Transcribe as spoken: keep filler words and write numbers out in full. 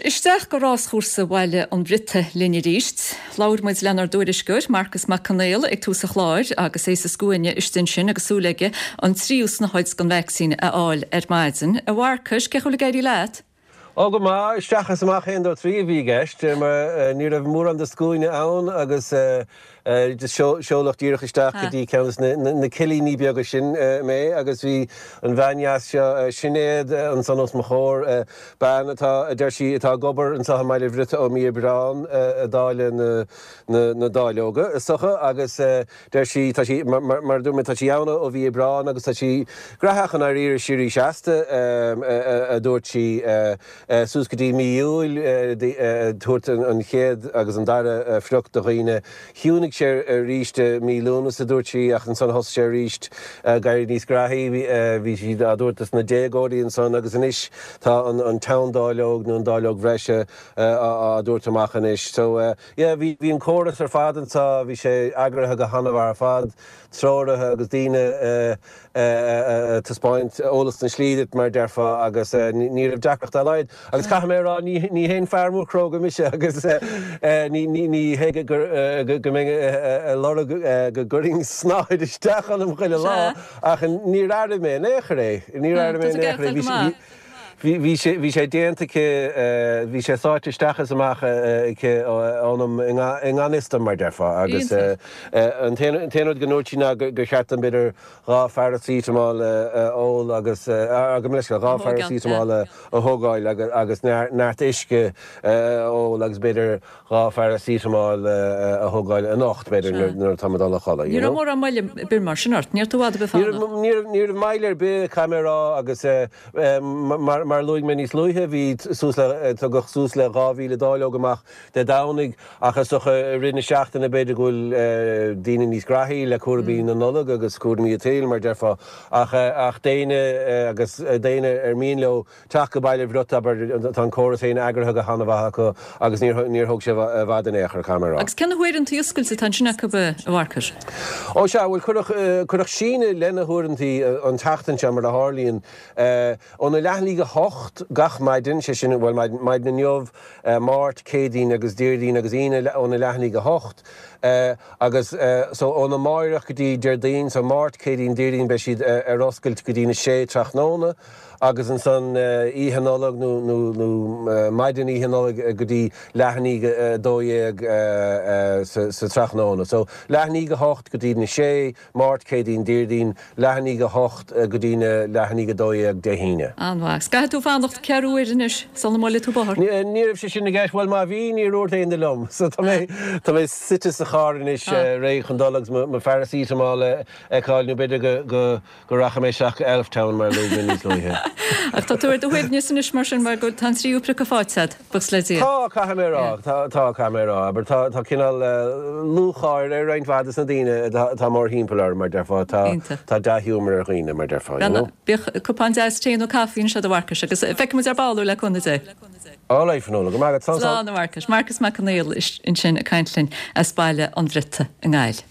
isteach go ráschúrsa Bhaile an Bhriotaigh linn arís. Labhair muid lenár dtuairisceoir Marcus Mac Conghail ag tús an chláir agus é sa scuaine istigh ansin agus súil aige an tríú snáthaid den vacsaín a fháil ar maidin. A Mharcais, cén chaoi a bhfuil ag éirí leat? Ó go maith isteach is amach aon dó trí a bhí i gceist mar ní raibh mórán de scuaine ann agus seoladh díreach isteach go dtí ceann de na cillíní beaga sin mé agus bhí an bhean dheas seo Sinéad ansan os mo chomhair, bean atá, a deir sí, atá ag obair anseo i mBaile Bhriotaigh ó mí Aibreán ag dáileadh na dáileoga is dócha agus deir sí, tá sí, mar a dúirt mé, tá sí ann ó mhí Aibreán agus tá sí graitheach i ndáiríre síoraí seasta, a dúirt sí. Suas go dtí mí Iúil ag tabhairt an chéad agus an dara phioc do dhaoine. Chiúnaigh sé arís i mí Lúnasa, dúirt sí, ach ansan thosaigh sé arís ag éirí níos graithí. Bhí siad á dtabhairt dos na déagóirí ansan agus anois tá an teanndáileog nó an dáileog bhreise á dtabhairt amach anois. So yeah, bhí an córas ar fad anseo, bhí sé eagraithe go han-mhaith ar fad, treoraithe agus daoine ag taispeáint eolas na slí duit, mar a déarfá, agus ní raibh deacracht dá laghad. Agus caithfidh mé a rá, ní haon fear mór cróga mise agus ní hé go mbeinn ag lorg go gcuirfinn snáthaid isteach ionam chuile lá, ach níor airigh mé in aon chor é. Níor airigh mé in aon chor é. Bhí sé, bhí sé déanta aici, bhí sé sáite isteach is amach aici ionam i ngan fhios dom, mar déarfá, agus an t-aon rud go ndúirt sí ná gur cheart dom b'fhéidir dhá pharacetamol a ól agus, gabh mo leithscéal, dhá pharacetamol a thógáil agus neart uisce a ól agus b'fhéidir dhá pharacetamol a thógáil anocht, b'fhéidir, nuair atá mé ag dul a chodladh, you Ní raibh know. mórán moille ar bith mar sin ort, ní raibh tú i bhfad ar bith Ní fanacht. raibh, ní raibh, ní raibh moill ar bith, caithfidh mé a rá, agus mar, mar a luaigh mé níos luaithe, bhí suas le, tugadh suas le dhá mhíle dáileog amach Dé Domhnaigh ach is dócha i rith na seachtaine b'fhéidir go bhfuil daoine níos graithí le cúraimí na Nollag agus cúraimí an tsaoil, mar déarfá, ach, ach d'éinne agus d'éinne ar mian leo teacht go Baile Bhriotaigh, abair, tá an córas féin eagraithe go han-mhaith acu agus níor, níor thóg sé i bhfad in aon chor, caithfidh mé a rá. Agus cé na huaireantaí oscailte atá ansin acu, a Mharcais? Ó sea, bhuel, cuireadh, cuireadh síneadh lena huaireantaí an tseachtain seo, mar a tharlaíonn, óna leath i ndiaidh a hocht gach maidin, sé sin, bhuel, maidin, maidin inniu, Máirt, Céadaoin agus Déardaoin agus Aoine óna leath i ndiaidh a hocht agus so óna máireach go dtí Déardaoin, so Máirt, Céadaoin, Déardaoin beidh siad ar oscailt go dtí na sé tráthnóna agus ansan Oíche Nollag nó nó nó maidin Oíche Nollag go dtí leath i ndiaidh a dó dhéag sa sa tráthnóna. So leath i ndiaidh a hocht go dtí na sé. Máirt, Céadaoin, Déardaoin, leath i ndiaidh a hocht go dtí na leath i ndiaidh a dó dhéag Dé hAoine. An-mhaith. Agus caithfidh tú fanacht ceathrú uaire anois sula mbuailfidh tú bóthar. Ní raibh sé sin i gceist. Bhuel, má bhí, níor dhúirt éinne liom. So tá mé, tá mé suite sa charr anois réidh chun dul agus mo, mo pharacetamol a fheiceáil nó b'fhéidir go, go, go rachaidh mé isteach go Elftown mar a luaigh mé níos luaithe. Ach tá tú ar do shuaimhneas anois mar sin mar go tá an tríú priocadh faighte agat, buíochas le Dia. Tá, caithfidh mé a rá. Tá, tá, caithfidh mé a rá. Abair, tá, tá cineál lúcháir ar roinnt mhaith de na daoine atá, atá mórthimpeall orm, mar déarfá. Tá, Iontach. tá dea-ghiúmar ar dhaoine, mar déarfá, you know. Bíodh cupán deas tae nó caife anseo do Mharcas agus feicfidh muid ar ball thú le cúnamh Dé. All right, Fionnuala, go maith agat. Slán, slán. Slán, a Mharcais. Marcas Mac Conghail ansin ag caint linn as Baile an Bhriotaigh i nGaillimh.